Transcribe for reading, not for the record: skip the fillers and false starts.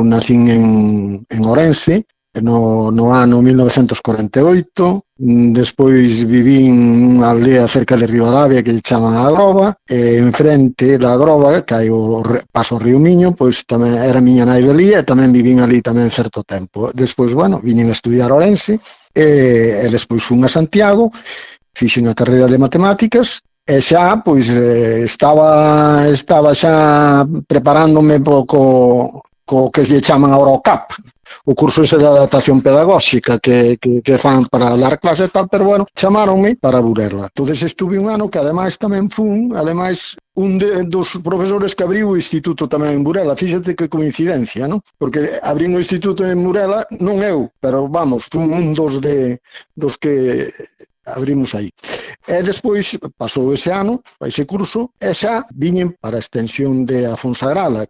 nacín en Ourense no ano 1948, despois vivín nunha aldea cerca de Ribadavia que lle chaman a Groba, e enfrente da Groba, que hai o paso o río Miño, pois tamén era miña nai de ali, e tamén vivín ali tamén certo tempo. Despois, bueno, viñen a estudiar a Ourense, e despois fun a Santiago, fixen a carreira de matemáticas, e xa, pois, estaba xa preparándome co que lle chaman agora o CAP, o curso ese de adaptación pedagóxica que fan para dar clase e tal, pero bueno, chamaronme para Burela. Entonces estuve un ano que ademais tamén fun, ademais, dos profesores que abriu o instituto tamén en Burela. Fíxate que coincidencia, non? Porque abrín o instituto en Burela, non eu, pero vamos, fun un dos que abrimos aí. E despois pasou ese ano, ese curso, e xa viñen para a extensión de Afonsagrada,